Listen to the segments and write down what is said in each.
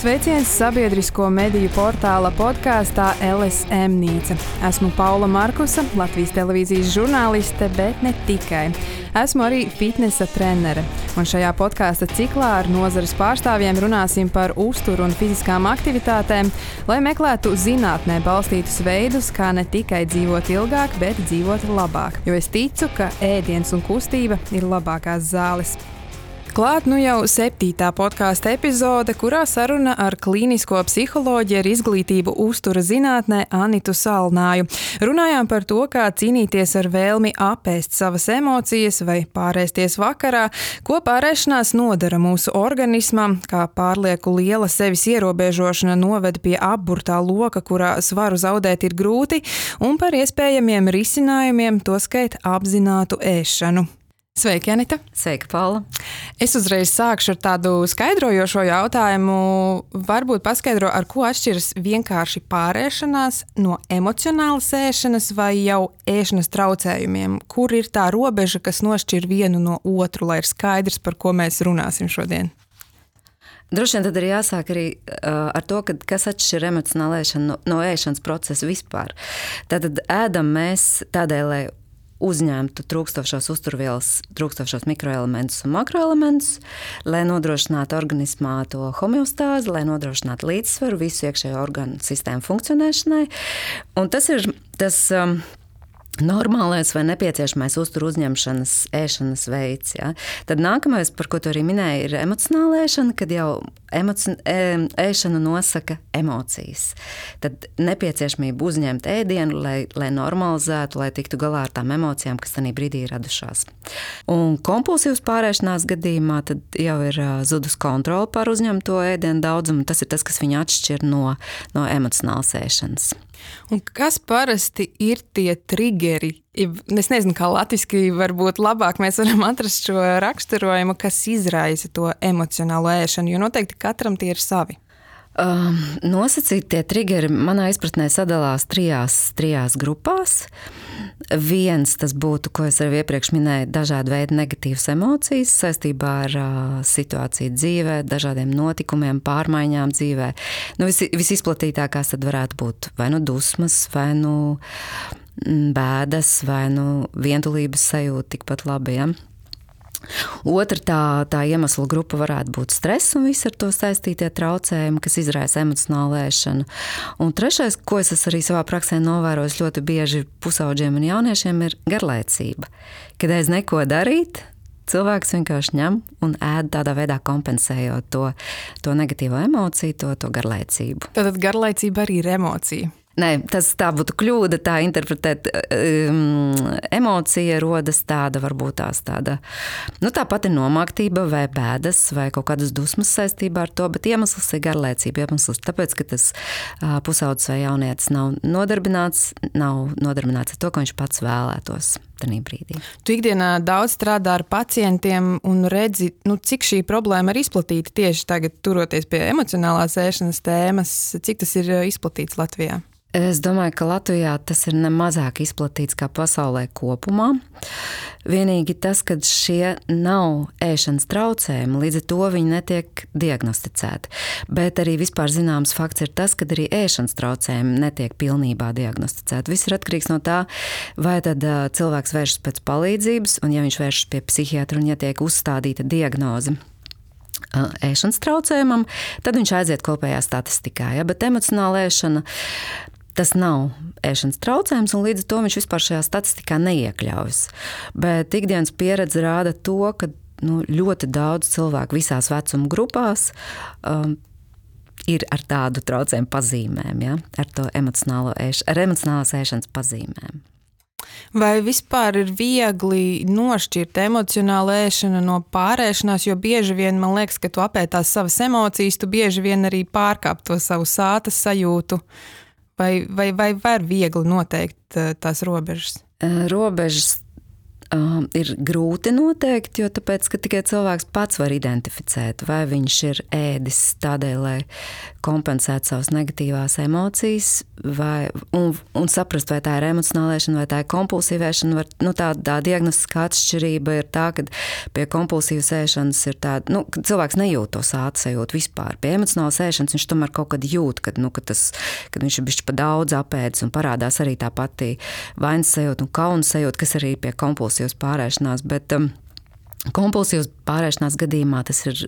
Sveiciens sabiedrisko mediju portāla podkāstā LSM Nīca. Esmu Paula Markusa, Latvijas televīzijas žurnāliste, bet ne tikai. Esmu arī fitnesa trenere, un šajā podkāsta ciklā ar nozares pārstāvjiem runāsim par uzturu un fiziskām aktivitātēm, lai meklētu zinātnē balstītus veidus, kā ne tikai dzīvot ilgāk, bet dzīvot labāk. Jo es ticu, ka ēdiens un kustība ir labākās zāles. Klāt jau 7. podkāsta epizode, kurā saruna ar klīnisko psiholoģiju ar izglītību uztura zinātnē Anitu Salnāju. Runājām par to, kā cīnīties ar vēlmi apēst savas emocijas vai pārēsties vakarā, ko pārēšanās nodara mūsu organismam, kā pārlieku liela sevis ierobežošana noved pie apburtā loka, kurā svaru zaudēt ir grūti, un par iespējamiem risinājumiem, toskait apzinātu ēšanu. Sveiki, Anita! Sveika, Paula! Es uzreiz sākšu ar tādu skaidrojošo jautājumu. Varbūt paskaidro, ar ko atšķiras vienkārši pārēšanās no emocionālas ēšanas vai jau ēšanas traucējumiem? Kur ir tā robeža, kas nošķir vienu no otru, lai ir skaidrs, par ko mēs runāsim šodien? Droši vien tad ir jāsāk arī ar to, kas atšķir emocionālu ēšanu no ēšanas procesa vispār. Tātad ēdam mēs tādēļ, lai uzņemtu trūkstošos uzturvielas, trūkstošos mikroelementus un makroelementus, lai nodrošinātu organismā to homeostāzi, lai nodrošinātu līdzsvaru visu iekšējo organu sistēmu funkcionēšanai. Un tas ir tas normālais vai nepieciešamais uzturu uzņemšanas ēšanas veids. Ja? Tad nākamais, par ko tu arī minēji, ir emocionāla ēšana, kad jau ēšana nosaka emocijas. Tad nepieciešamība uzņemt ēdienu, lai normalizētu, lai tiktu galā ar tām emocijām, kas tajā brīdī ir radušās. Un kompulsīvas pārēšanās gadījumā tad jau ir zudus kontrole pār uzņemto ēdienu daudzumu. Tas ir tas, kas viņu atšķir no emocionālas ēšanas. Un kas parasti ir tie triggeri? Es nezinu, kā latviski varbūt labāk mēs varam atrast šo raksturojumu, kas izraisa to emocionālo ēšanu, jo noteikti katram tie ir savi. Nosacītie triggeri manā izpratnē sadalās trijās grupās. Viens tas būtu, ko es arī iepriekš minēju, dažādi veidi negatīvas emocijas saistībā ar situāciju dzīvē, dažādiem notikumiem, pārmaiņām dzīvē. Visizplatītākās tad varētu būt vai nu dusmas, vai nu bēdas, vai nu vientulības sajūta tikpat labi, ja? Otra tā iemesla grupa varētu būt stress un visi ar to saistītie traucējumi, kas izraisa emocionālu ēšanu. Un trešais, ko es arī savā praksē novērojis ļoti bieži pusaudžiem un jauniešiem, ir garlaicība. Kad aiz neko darīt, cilvēks vienkārši ņem un ēd tādā veidā kompensējot to negatīvo emociju, to garlaicību. Tātad garlaicība arī ir emocija? Nē, tā būtu kļūda, tā interpretēt. Emocija rodas varbūt tāda, tā pati nomāktība vai bēdas vai kaut kādas dusmas saistībā ar to, bet iemesls ir garlaicība. Iemesls tāpēc, ka tas pusaudzis vai jaunietis nav nodarbināts ar to, ko viņš pats vēlētos tajā brīdī. Tu ikdienā daudz strādā ar pacientiem un redzi, cik šī problēma ir izplatīta tieši tagad, turoties pie emocionālās ēšanas tēmas, cik tas ir izplatīts Latvijā? Es domāju, ka Latvijā tas ir nemazāk izplatīts kā pasaulē kopumā. Vienīgi tas, ka šie nav ēšanas traucējumi, līdz ar to viņi netiek diagnosticēti. Bet arī vispār zināms fakts ir tas, ka arī ēšanas traucējumi netiek pilnībā diagnosticēti. Viss ir atkarīgs no tā, vai tad cilvēks vēršas pēc palīdzības, un ja viņš vēršas pie psihiatra un ja tiek uzstādīta diagnoze ēšanas traucējumam, tad viņš aiziet kopējā statistikā. Ja? Bet emocionāla ēšana, tas nav ēšanas traucējums, un līdz ar to viņš vispār šajā statistikā neiekļaujas. Bet ikdienas pieredze rāda to, ka ļoti daudz cilvēku visās vecuma grupās ir ar tādu traucējumu pazīmēm, ja? Ar emocionālās ēšanas pazīmēm. Vai vispār ir viegli nošķirt emocionālu ēšanu no pārēšanās, jo bieži vien man liekas, ka tu apētās savas emocijas, tu bieži vien arī pārkāp to savu sātas sajūtu, vai var viegli noteikt tās robežas? Robežas ir grūti noteikt, jo tāpēc, ka tikai cilvēks pats var identificēt, vai viņš ir ēdis tādēļ, lai kompensētu savas negatīvās emocijas, un saprast, vai tā ir emocionālēšana, vai tā ir kompulsīvēšana. Tā diagnostiskā atšķirība ir tā, ka pie kompulsīvas ēšanas ir tāda, ka cilvēks nejūt to sāta sajūtu vispār. Pie emocionālas ēšanas viņš tomēr kaut kad jūt, kad viņš ir bišķi pa daudz apēdis, un parādās arī tā pati vainas sajūta un kauna sajūta, kas arī pie kompulsīvas pārēšanās, bet kompulsīvas pārēšanās gadījumā tas ir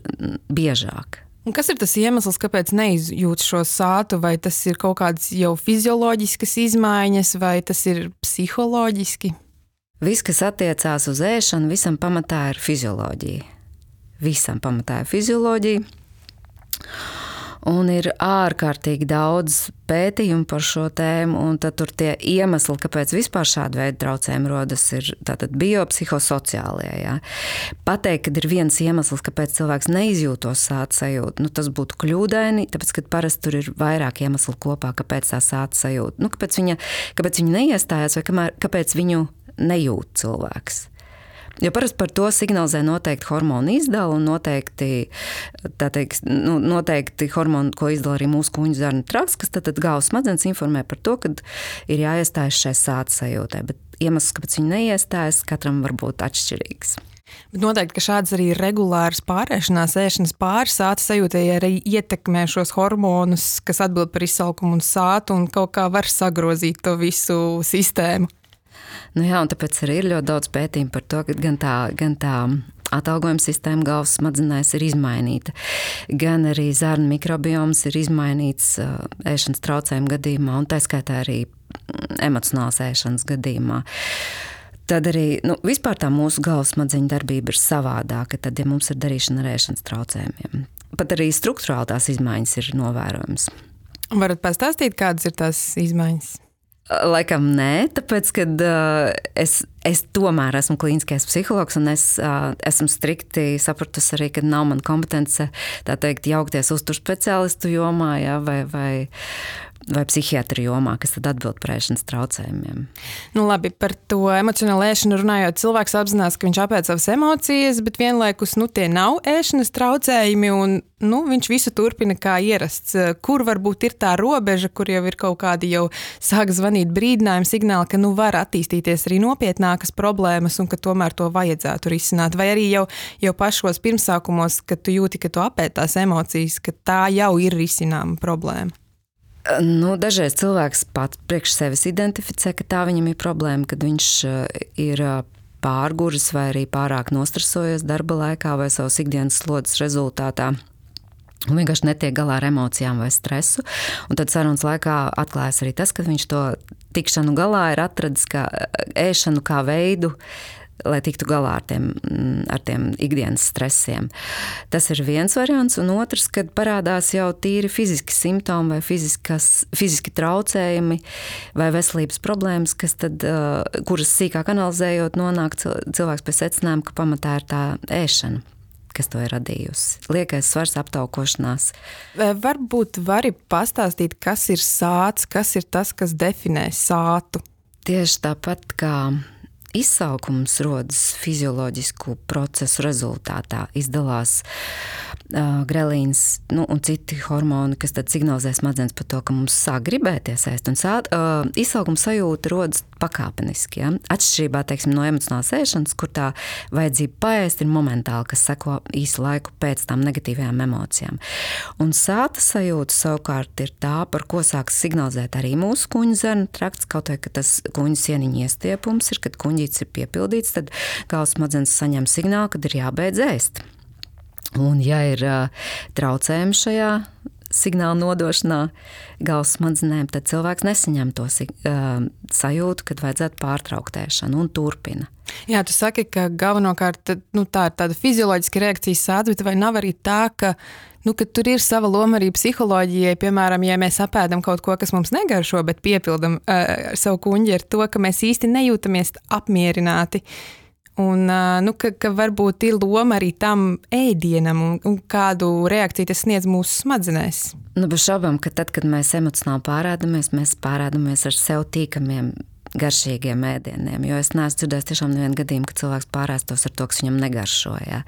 biežāk. Un kas ir tas iemesls, kāpēc neizjūt šo sātu? Vai tas ir kaut kādas jau fizioloģiskas izmaiņas, vai tas ir psiholoģiski? Viss, kas attiecās uz ēšanu, visam pamatā ir fizioloģija. Un ir ārkārtīgi daudz pētījumu par šo tēmu, un tad tur tie iemesli, kāpēc vispār šāda veida traucējumi rodas, ir tātad biopsihosociālie. Ja? Pateikt, kad ir viens iemesls, kāpēc cilvēks neizjūt to sāta sajūtu, tas būtu kļūdaini, tāpēc, ka parasti tur ir vairāk iemeslu kopā, kāpēc tā sāta sajūta. Kāpēc viņa neiestājās, vai kāpēc viņu nejūt cilvēks. Jo parasti par to signalizē noteikti hormonu izdala un noteikti hormoni, ko izdala arī mūsu kuņģu zarnu trakts, kas tad galvas smadzenes informē par to, ka ir jāiestājas šai sāta sajūtai. Bet iemesls, kāpēc viņi neiestājas, katram var būt atšķirīgs. Bet noteikti, ka šādas arī regulāras pārēšanās, ēšanas pāri sāta sajūtai arī ietekmē šos hormonus, kas atbild par izsalkumu un sātu, un kaut kā var sagrozīt to visu sistēmu. Jā, un tāpēc arī ir ļoti daudz pētījumu par to, ka gan tā atalgojuma sistēma galvas smadzenēs ir izmainīta, gan arī zarnu mikrobioms ir izmainīts ēšanas traucējumu gadījumā, un tā skaitā arī emocionālas ēšanas gadījumā. Tad arī vispār tā mūsu galvas smadzeņu darbība ir savādāka, tad, ja mums ir darīšana ar ēšanas traucējumiem. Pat arī struktūrāli tās izmaiņas ir novērojamas. Varat pastāstīt, kādas ir tās izmaiņas? Laikam nē, tāpēc, kad es tomēr esmu klīniskais psihologs un es esmu strikti sapratusi arī, ka nav man kompetence, tā teikt, jaukties uzturu speciālistu jomā, ja, vai psihiatru jomā, kas tad atbild par ēšanas traucējumiem. Labi, par to emocionālu ēšanu runājot, cilvēks apzinās, ka viņš apēd savas emocijas, bet vienlaikus tie nav ēšanas traucējumi un viņš visu turpina kā ierasts. Kur varbūt ir tā robeža, kur jau ir kaut kādi jau sāk zvanīt brīdinājumi signāli, ka var attīstīties arī nopietnākas problēmas un ka tomēr to vajadzētu risināt. Vai arī jau pašos pirmsākumos, kad tu jūti, ka tu apēd tās emocijas, ka tā jau ir risināma problēma? Dažreiz cilvēks pats priekš sevis identificē, ka tā viņam ir problēma, kad viņš ir pārguris vai arī pārāk nostresojies darba laikā vai savas ikdienas slodzes rezultātā. Un vienkārši netiek galā ar emocijām vai stresu. Un tad sarunas laikā atklājas arī tas, ka viņš to tikšanu galā ir atradis kā ēšanu kā veidu, lai tiktu galā ar tiem ikdienas stresiem. Tas ir viens variants, un otrs, kad parādās jau tīri fiziski simptomi vai fiziski traucējumi vai veselības problēmas, kuras sīkāk analizējot nonāk cilvēks pie secinājuma, ka pamatā ir tā ēšana, kas to ir radījusi. Liekais svars, aptaukošanās. Varbūt vari pastāstīt, kas ir sāts, kas ir tas, kas definē sātu? Tieši tāpat kā izsalkums rodas fizioloģisku procesu rezultātā, izdalās grelīns un citi hormoni, kas tad signalizē smadzenes par to, ka mums sāk gribēties ēst. Un izsalkuma sajūta rodas pakāpeniski. Ja? Atšķirībā, no emocionālas ēšanas, kur tā vajadzība paēst ir momentāli, kas seko īsu laiku pēc tām negatīvajām emocijām. Un sāta sajūta savukārt ir tā, par ko sāks signalizēt arī mūsu kuņģu zarnu trakts, kaut vai, ka tas kuņģu sieniņu iestiepums ir, kad kuņģītis ir piepildīts, tad galvas smadzenes saņem signālu, kad ir jābeidz ēst. Un ja ir traucējumi šajā signāla nodošanā galvas smadzenēm, tad cilvēks nesaņem to sajūtu, kad vajadzētu pārtraukt ēšanu un turpina. Jā, tu saki, ka galvenokārt tā ir tāda fizioloģiska reakcijas sāds, bet vai nav arī tā, ka tur ir sava loma arī psiholoģijai, piemēram, ja mēs apēdam kaut ko, kas mums negaršo, bet piepildam savu kuņģi ar to, ka mēs īsti nejūtamies apmierināti. Un ka varbūt ir loma arī tam ēdienam un kādu reakciju tas sniedz mūsu smadzenēs. Bez šaubām, ka tad, kad mēs emocionāli pārēdamies, mēs pārēdamies ar sev tīkamiem garšīgiem ēdieniem, jo es neesmu dzirdējis tiešām nevienu gadījumu, ka cilvēks pārēstos ar to, kas viņam negaršo. Jā.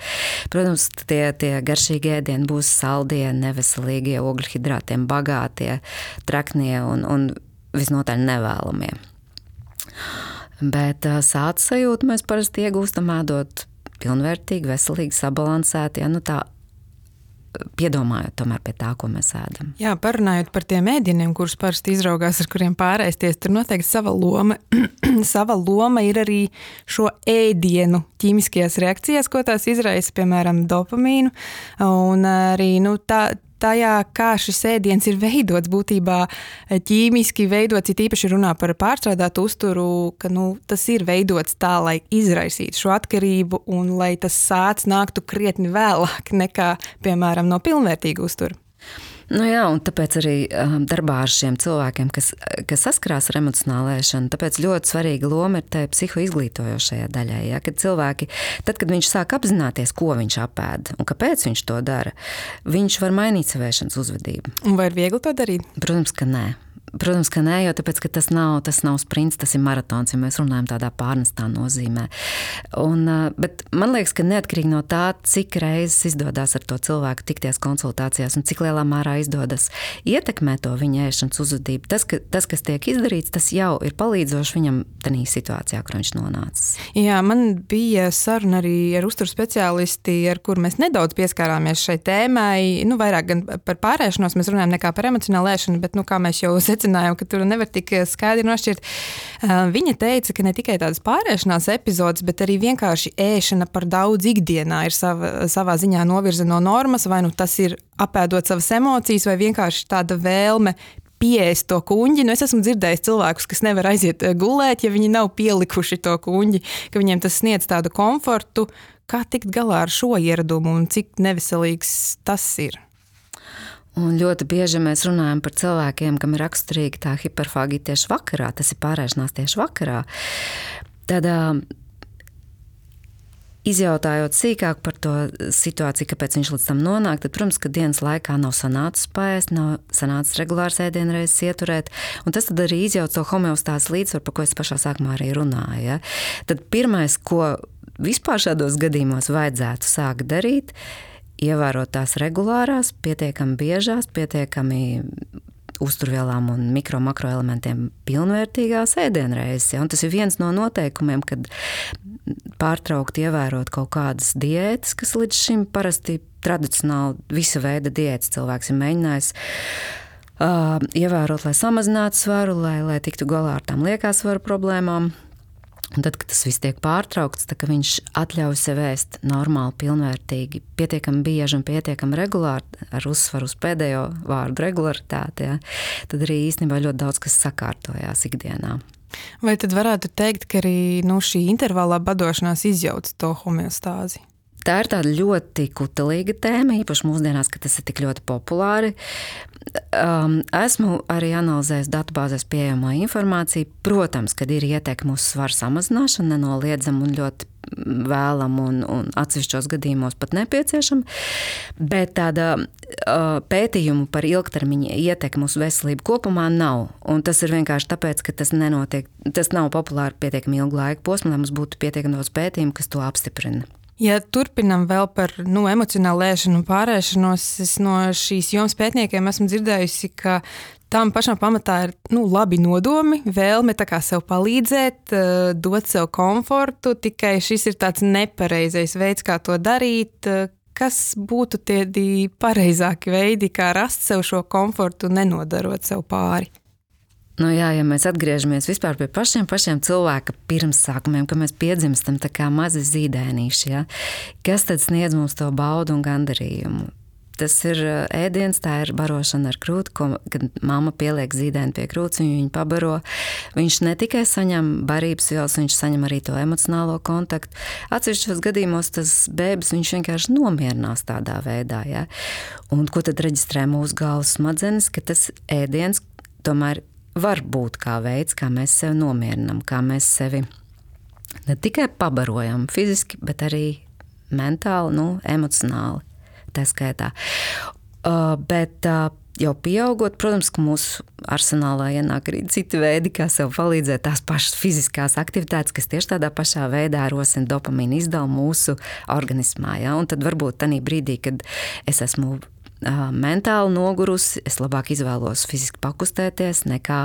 Protams, tie garšīgi ēdieni būs saldie, neveselīgie, ogļhidrātiem bagātie, traknie un visnotaļ nevēlamie. Bet sāta sajūtu mēs parasti iegūstam ēdot pilnvērtīgi, veselīgi, sabalansēti, tā piedomājot tomēr pie tā, ko mēs ēdam. Jā, parunājot par tiem ēdieniem, kurus parasti izraugās, ar kuriem pārēsties, tur noteikti sava loma. Sava loma ir arī šo ēdienu ķīmiskajās reakcijās, ko tās izraisa, piemēram, dopamīnu, un arī, tajā, kā šis ēdiens ir veidots, būtībā ķīmiski veidots, it īpaši runā par pārstrādātu uzturu, ka tas ir veidots tā, lai izraisītu šo atkarību un lai tas sāc nāktu krietni vēlāk nekā, piemēram, no pilnvērtīga uztura. Jā, un tāpēc arī darbā ar šiem cilvēkiem, kas saskarās ar emocionālu ēšanu, tāpēc ļoti svarīga loma ir tai psihoizglītojošajā daļai. Ja? Kad cilvēki, tad, kad viņš sāk apzināties, ko viņš apēd un kāpēc viņš to dara, viņš var mainīt savu ēšanas uzvedību. Un vai ir viegli to darīt? Protams, ka nē. Protams, ka nē, jo tāpēc, ka tas nav sprints, tas ir maratons, ja mēs runājam tādā pārnestā nozīmē. Bet man liekas, ka neatkarīgi no tā, cik reizes izdodas ar to cilvēku tikties konsultācijās un cik lielā mērā izdodas ietekmēt to viņa ēšanas uzvedību, tas, kas tiek izdarīts, tas jau ir palīdzoši viņam tādā situācijā, kur viņš nonācis. Jā, man bija saruna arī ar uzturu speciālisti, ar kur mēs nedaudz pieskārāmies šai tēmai. Vairāk gan par pārēšanos mēs runājam nekā par emocionālu ēšanu, bet, kā mēs jau secinājām, ka tur nevar tik skaidri nošķirt. Viņa teica, ka ne tikai tādas pārēšanās epizodes, bet arī vienkārši ēšana par daudz ikdienā ir savā ziņā novirza no normas, vai tas ir apēdot savas emocijas, vai vienkārši tāda vēlme pieēst to kuņģi. Es esmu dzirdējis cilvēkus, kas nevar aiziet gulēt, ja viņi nav pielikuši to kuņģi, ka viņiem tas sniedz tādu komfortu. Kā tikt galā ar šo ieradumu un cik neveselīgs tas ir? Un ļoti bieži mēs runājam par cilvēkiem, kam ir raksturīga tā hiperfāgija tieši vakarā, tas ir pārēšanās tieši vakarā. Tad izjautājot sīkāk par to situāciju, kāpēc viņš līdz tam nonāk, tad, protams, ka dienas laikā nav sanācis paēst, nav sanācis regulārs ēdienreizes ieturēt, un tas tad arī izjauc to homeostāzes līdzsvaru, par ko es pašā sākumā arī runāju. Ja? Tad pirmais, ko vispār šādos gadījumos vajadzētu sākt darīt, ievērot tās regulārās, pietiekami biežās, pietiekami uzturvielām un mikro-makroelementiem pilnvērtīgās ēdienreizes. Ja? Un tas ir viens no noteikumiem, kad pārtraukt ievērot kaut kādas diētas, kas līdz šim parasti tradicionāli visa veida diētas cilvēks ir mēģinājis ievērot, lai samazinātu svaru, lai tiktu galā ar tām liekā svaru problēmām. Un tad, kad tas viss tiek pārtraukts, tad viņš atļauj sev ēst normāli, pilnvērtīgi, pietiekami bieži un pietiekami regulāri, ar uzsvaru uz pēdējo vārdu regularitāti, ja, tad arī īstenībā ļoti daudz kas sakārtojās ikdienā. Vai tad varētu teikt, ka arī šī intervālā badošanās izjauc to homeostāzi? Tā ir tāda ļoti kutelīga tēma, īpaši mūsdienās, ka tas ir tik ļoti populāri. Esmu arī analizējis datubāzēs pieejamo informāciju. Protams, kad ir ieteikumi uz svaru samazināšanu, nenoliedzam un ļoti vēlam un atsevišķos gadījumos pat nepieciešam, bet tāda pētījumu par ilgtermiņa ietekmi uz veselību kopumā nav. Un tas ir vienkārši tāpēc, ka tas nenotiek, tas nav populāri pietiekami ilgu laiku posmu, lai mums būtu pietiekami daudz pētījumu, kas to apstiprina. Ja turpinam vēl par emocionālu ēšanu un pārēšanos, es no šīs jomas pētniekiem esmu dzirdējusi, ka tam pašam pamatā ir labi nodomi, vēlme tā kā sev palīdzēt, dot sev komfortu, tikai šis ir tāds nepareizais veids, kā to darīt. Kas būtu tie pareizāki veidi, kā rast sev šo komfortu, nenodarot sev pāri? Jā, ja mēs atgriežamies vispār pie pašiem cilvēka pirmsākumiem, ka mēs piedzimstam tā kā mazi zīdēnīši, ja? Kas tad sniedz mums to baudu un gandarījumu? Tas ir ēdiens, tā ir barošana ar krūti, kad mamma pieliek zīdēni pie krūts, viņu pabaro. Viņš ne tikai saņem barības vielas, viņš saņem arī to emocionālo kontaktu. Atsevišķos gadījumos tas bēbis, viņš vienkārši nomierinās tādā veidā. Ja? Un ko tad reģistrē mūsu galvas smadzenes, ka tas ēdiens tomēr var būt kā veids, kā mēs sevi nomierinam, kā mēs sevi ne tikai pabarojam fiziski, bet arī mentāli, emocionāli, tā skaitā. Bet jau pieaugot, protams, ka mūsu arsenālā ienāk arī citi veidi, kā sev palīdzēt, tās pašas fiziskās aktivitātes, kas tieši tādā pašā veidā rosina dopamīnu izdevumu mūsu organismā. Ja? Un tad varbūt tanī brīdī, kad es esmu mentāli nogurusi, es labāk izvēlos fiziski pakustēties nekā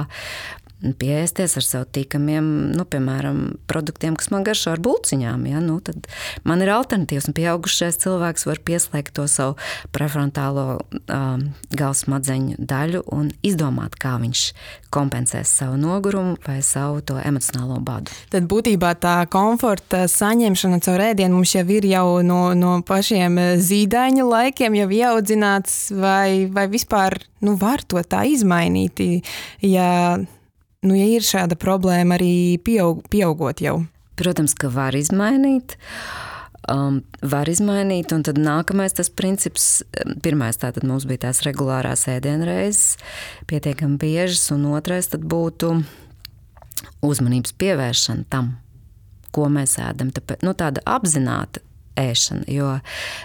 pieēsties ar sev tīkamiem, piemēram, produktiem, kas man garšo ar bulciņām. Ja? Tad man ir alternatīvas, un pieaugušais cilvēks var pieslēgt to savu prefrontālo galvas smadzeņu daļu un izdomāt, kā viņš kompensēs savu nogurumu vai savu to emocionālo badu. Tad būtībā tā komforta saņemšana caur ēdienu mums jau ir jau no pašiem zīdaiņa laikiem jau ieaudzināts, vai vispār var to tā izmainīt, ja ir šāda problēma arī pieaugot jau? Protams, ka var izmainīt, un tad nākamais tas princips, pirmais tātad mums bija tās regulārās ēdienreizes, pietiekami biežas, un otrais tad būtu uzmanības pievēršana tam, ko mēs ēdam. Tāpēc, tāda apzināta ēšana, jo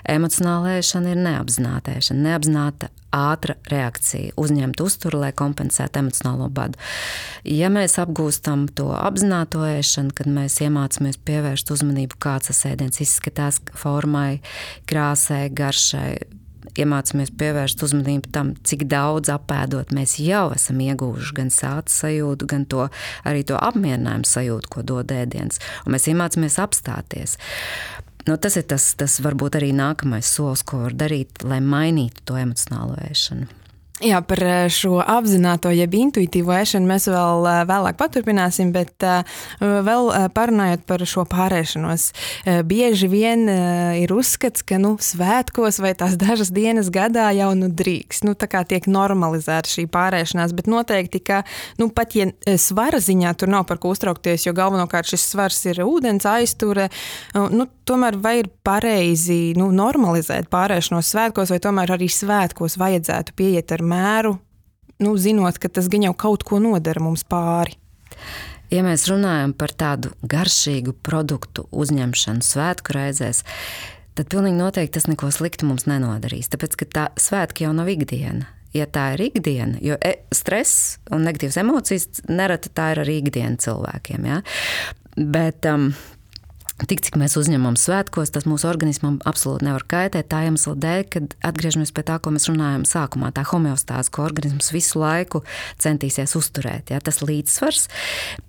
emocionāla ēšana ir neapzināta ēšana, neapzināta ātra reakcija, uzņemt uzturu, lai kompensētu emocionālo badu. Ja mēs apgūstam to apzināto ēšanu, kad mēs iemācāmies pievērst uzmanību, kāds tas ēdiens izskatās, formai, krāsai, garšai, iemācāmies pievērst uzmanību tam, cik daudz apēdot mēs jau esam ieguvuši gan sāta sajūtu, gan arī to apmierinājumu sajūtu, ko dod ēdiens. Un mēs iemācāmies apstāties. Tas ir tas varbūt arī nākamais solis, ko var darīt, lai mainītu to emocionālo ēšanu. Jā, par šo apzināto, jeb intuitīvo ēšanu mēs vēl vēlāk paturpināsim, bet vēl parunājot par šo pārēšanos. Bieži vien ir uzskats, ka svētkos vai tās dažas dienas gadā jau drīkst. Tā kā tiek normalizēta šī pārēšanās, bet noteikti, ka pat ja svara ziņā tur nav par ko uztraukties, jo galvenokārt šis svars ir ūdens aizture, tomēr vai ir pareizi normalizēt pārēšanos svētkos, vai tomēr arī svētkos vajadzētu pieiet ar mēru, zinot, ka tas gan jau kaut ko nodara mums pāri. Ja mēs runājam par tādu garšīgu produktu uzņemšanu svētku reizēs, tad pilnīgi noteikti tas neko sliktu mums nenodarīs, tāpēc, ka tā svētki jau nav ikdiena. Ja tā ir ikdiena, jo stress un negatīvas emocijas nereti tā ir arī ikdiena cilvēkiem, ja? Bet tik, cik mēs uzņemam svētkos, tas mūsu organismam absolūti nevar kaitēt tā iemesla dēļ, kad atgriežamies pie tā, ko mēs runājam sākumā, tā homeostāze, ko organisms visu laiku centīsies uzturēt. Ja? Tas līdzsvars,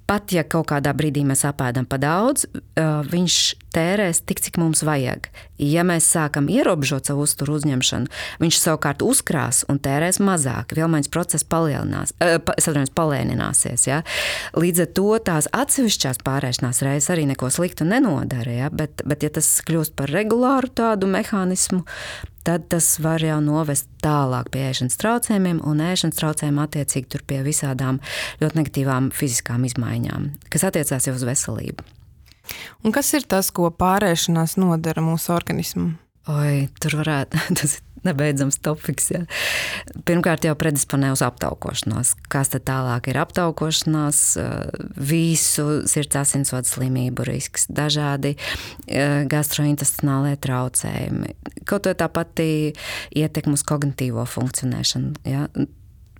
pat ja kaut kādā brīdī mēs apēdam pa daudz, viņš tērēs tik, cik mums vajag. Ja mēs sākam ierobežot savu uzturu uzņemšanu, viņš savukārt uzkrās un tērēs mazāk. Vielmaiņas process palēnināsies. Ja? Līdz ar to tās atsevišķās pārēšanās reizes arī neko sliktu nenodara. Ja? Bet ja tas kļūst par regulāru tādu mehānismu, tad tas var jau novest tālāk pie ēšanas traucējumiem, un ēšanas traucējumi attiecīgi tur pie visādām ļoti negatīvām fiziskām izmaiņām, kas attiecās jau uz veselību. Un kas ir tas, ko pārēšanās nodara mūsu organismam? Tur varētu, tas ir nebeidzams topiks. Ja. Pirmkārt jau predisponē uz aptaukošanos. Kas tad tālāk ir aptaukošanās, visu sirds asinsvadu slimību risks, dažādi gastrointestinālie traucējumi. Kaut vai tā pati ietekme uz kognitīvo funkcionēšanu. Ja.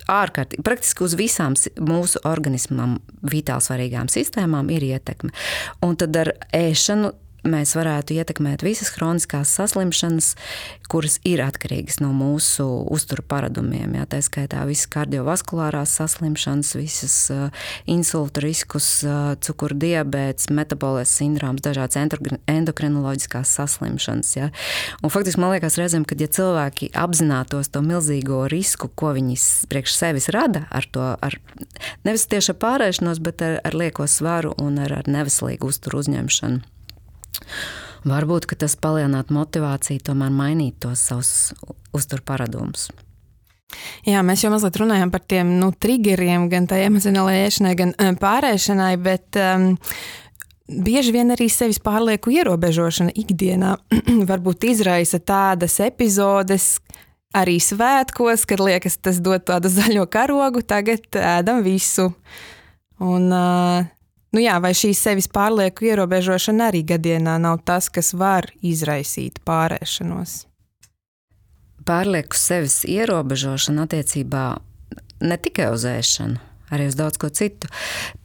Ārkārtīgi, praktiski uz visām mūsu organismam vitāli svarīgām sistēmām ir ietekme. Un tad ar ēšanu mēs varētu ietekmēt visas hroniskās saslimšanas, kuras ir atkarīgas no mūsu uzturu paradumiem. Jā, tā skaitā visas kardiovaskulārās saslimšanas, visas insulta riskus, cukuru diabēts, metabolēs sindroms, dažādas endokrinoloģiskās saslimšanas. Jā. Un faktiski man liekas reizēm, kad ja cilvēki apzinātos to milzīgo risku, ko viņi priekš sevis rada ar nevis tieši ar pārēšanos, bet ar lieko svaru un ar neveselīgu uzturu uzņemšanu. Varbūt, ka tas palielinātu motivāciju tomēr mainīt tos savus uzturu paradumus. Jā, mēs jau mazliet runājam par tiem triggeriem, gan tai emocionālajai ēšanai, gan pārēšanai, bet bieži vien arī sevis pārlieku ierobežošana ikdienā varbūt izraisa tādas epizodes, arī svētkos, kad liekas, tas dod tādu zaļo karogu, tagad ēdam visu. Un vai šī sevis pārlieku ierobežošana arī gadienā nav tas, kas var izraisīt pārēšanos? pārlieku sevis ierobežošana attiecībā ne tikai uz ēšanu, arī uz daudz ko citu.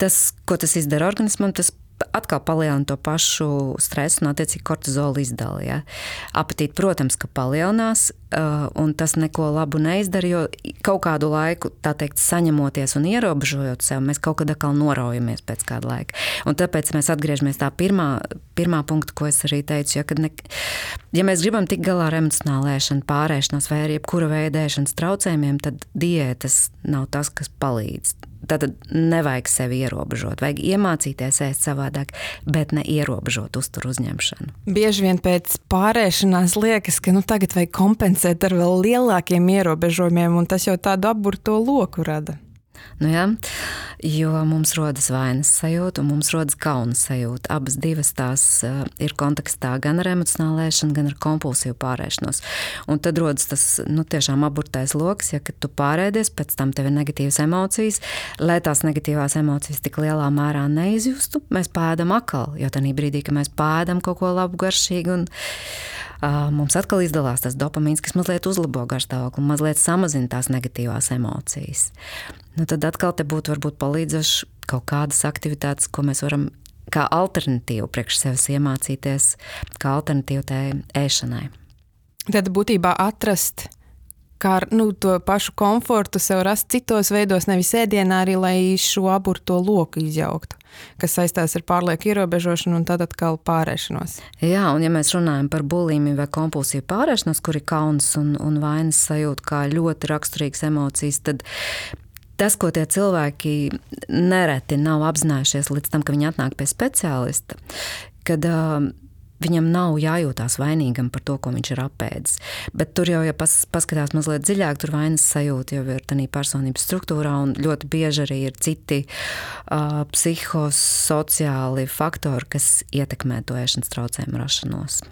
Tas, ko tas izdara organismam, tas atkal palielina to pašu stresu un attiecīgi kortizola izdali. Ja? Apetīti, protams, ka palielinās, un tas neko labu neizdara, jo kaut kādu laiku, tā teikt, saņemoties un ierobežojot sev, mēs kaut kad atkal noraujamies pēc kāda laika. Un tāpēc mēs atgriežamies tā pirmā punkta, ko es arī teicu, ja mēs gribam tikt galā ar emocionālu ēšanu, pārēšanos vai arī jebkura veida ēšanas traucējumiem, tad diētas nav tas, kas palīdz. Tātad nevajag sevi ierobežot, vajag iemācīties ēst savādāk, bet ne ierobežot uzturu uzņemšanu. Bieži vien pēc pārēšanās liekas, ka tagad vajag kompensēt ar vēl lielākiem ierobežojumiem, un tas jau tādu apburto loku rada. Jā, jo mums rodas vainas sajūta un mums rodas kauna sajūta. Abas divas tās ir kontekstā gan ar emocionālu ēšanu, gan ar kompulsīvu pārēšanos. Un tad rodas tas tiešām aburtais loks, ja kad tu pārēdies, pēc tam tev ir negatīvas emocijas. Lai tās negatīvās emocijas tik lielā mērā neizjustu, mēs pēdam atkal, jo tajā brīdī, kad mēs pēdam kaut ko labu, garšīgu, un mums atkal izdalās tas dopamīns, kas mazliet uzlabo garšstāvokli, mazliet samazina tās negatīvās emocijas. Tad atkal te būtu varbūt palīdzoši kaut kādas aktivitātes, ko mēs varam kā alternatīvu priekš sevis iemācīties, kā alternatīvu tai ēšanai. Tad būtībā atrast, kā to pašu komfortu sev rast citos veidos, nevis ēdienā arī, lai šo aburto loku izjauktu, kas saistās ar pārlieku ierobežošanu un tad atkal pārēšanos. Jā, un ja mēs runājam par bulimiju vai kompulsīvu pārēšanos, kur ir kauns un vainas sajūta kā ļoti raksturīgas emocijas, tad tas, ko tie cilvēki nereti nav apzinājušies līdz tam, ka viņi atnāk pie speciālista, kad viņam nav jājūtās vainīgam par to, ko viņš ir apēdis. Bet tur jau, ja paskatās mazliet dziļāk, tur vainas sajūta jau ir tādā personības struktūrā, un ļoti bieži arī ir citi psihosociāli faktori, kas ietekmē to ēšanas traucējumu rašanos.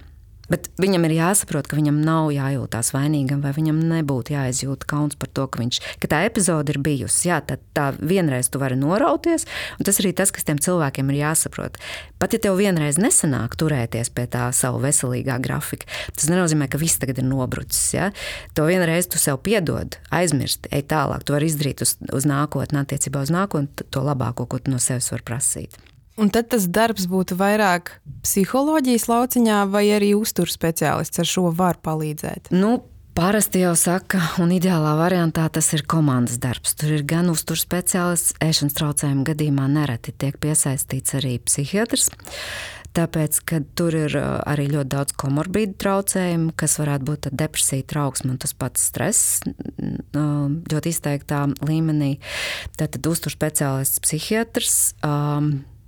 Bet viņam ir jāsaprot, ka viņam nav jājūtās vainīgam, vai viņam nebūtu jāizjūt kauns par to, ka tā epizode ir bijusi. Jā, tad tā vienreiz tu vari norauties, un tas arī tas, kas tiem cilvēkiem ir jāsaprot. Pat ja tev vienreiz nesanāk turēties pie tā savu veselīgā grafika, tas nenozīmē, ka viss tagad ir nobrucis. Ja? To vienreiz tu sev piedod, aizmirsti, ej tālāk. Tu vari izdarīt uz nākotni, attiecībā uz nākotni, to labāko, ko tu no sevis var prasīt. Un tad tas darbs būtu vairāk psiholoģijas lauciņā vai arī uzturu speciālists ar šo var palīdzēt? Parasti jau saka, un ideālā variantā tas ir komandas darbs. Tur ir gan uzturu speciālists, ēšanas traucējumu gadījumā nereti tiek piesaistīts arī psihiatrs, tāpēc, ka tur ir arī ļoti daudz komorbīdu traucējumu, kas varētu būt depresija, trauksme un tas pats stress ļoti izteiktā līmenī. Tātad uzturu speciālists, psihiatrs,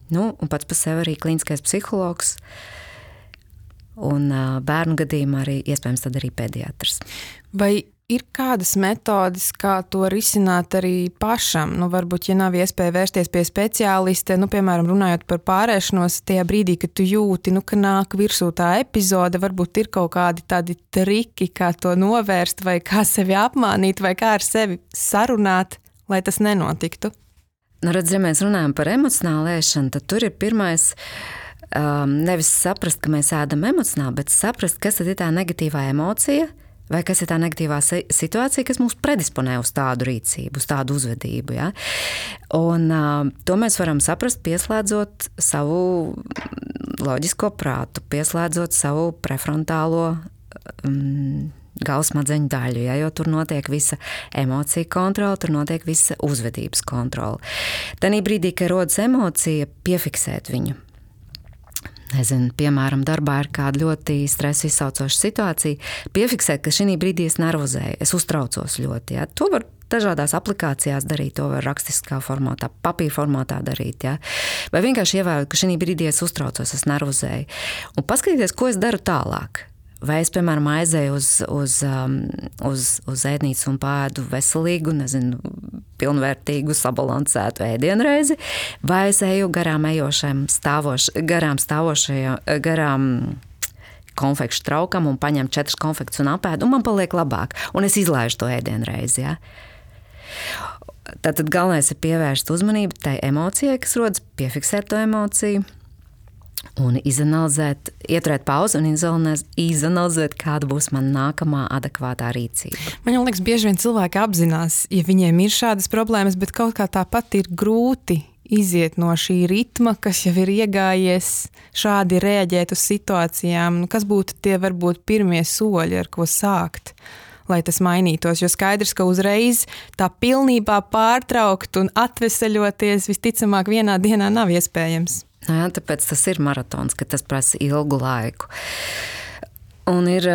un pats par sevi arī klīniskais psihologs, un bērnu gadījumā arī iespējams tad arī pediatrs. Vai ir kādas metodes, kā to risināt arī pašam? Varbūt, ja nav iespēja vērsties pie speciālista, piemēram, runājot par pārēšanos, tajā brīdī, kad tu jūti, ka nāk virsū tā epizode, varbūt ir kaut kādi tādi triki, kā to novērst, vai kā sevi apmānīt, vai kā ar sevi sarunāt, lai tas nenotiktu? Redz, ja mēs runājam par emocionālu ēšanu, tad tur ir pirmais nevis saprast, ka mēs ēdam emocionāli, bet saprast, kas tad ir tā negatīvā emocija vai kas ir tā negatīvā situācija, kas mūs predisponē uz tādu rīcību, uz tādu uzvedību. Ja? Un to mēs varam saprast, pieslēdzot savu loģisko prātu, pieslēdzot savu prefrontālo galvasmadzeņu daļu, ja, jo tur notiek visa emocija kontrola, tur notiek visa uzvedības kontrola. Tanī brīdī, kad rodas emocija, piefiksēt viņu. Piemēram, darbā ir kāda ļoti stresa izsaucoša situācija, piefiksēt, ka šī brīdī es nervozēju, es uztraucos ļoti. Ja. To var dažādās aplikācijās darīt, to var rakstiskā formātā, papīra formātā darīt. Ja. Vai vienkārši ievērot, ka šī brīdī es uztraucos, es nervozēju. Un paskatīties, ko es daru tālāk. Vai es, piemēram, aizēju uz ēdnīcu un pēdu veselīgu, pilnvērtīgu, sabalansētu ēdienreizi, vai es eju garām konfekšu traukam un paņemu 4 konfektus un apēdu, un man paliek labāk, un es izlaižu to ēdienreizi. Ja? Tātad galvenais ir pievērst uzmanību tai emocijai, kas rodas, piefiksēt to emociju, Un izanalizēt, ieturēt pauzi un izanalizēt, kāda būs man nākamā adekvātā rīcība. Man liekas, bieži vien cilvēki apzinās, ja viņiem ir šādas problēmas, bet kaut kā tāpat ir grūti iziet no šī ritma, kas jau ir iegājies, šādi reaģēt uz situācijām. Kas būtu tie varbūt pirmie soļi, ar ko sākt, lai tas mainītos? Jo skaidrs, ka uzreiz tā pilnībā pārtraukt un atveseļoties visticamāk vienā dienā nav iespējams. Jā, tāpēc tas ir maratons, ka tas prasa ilgu laiku. Un ir,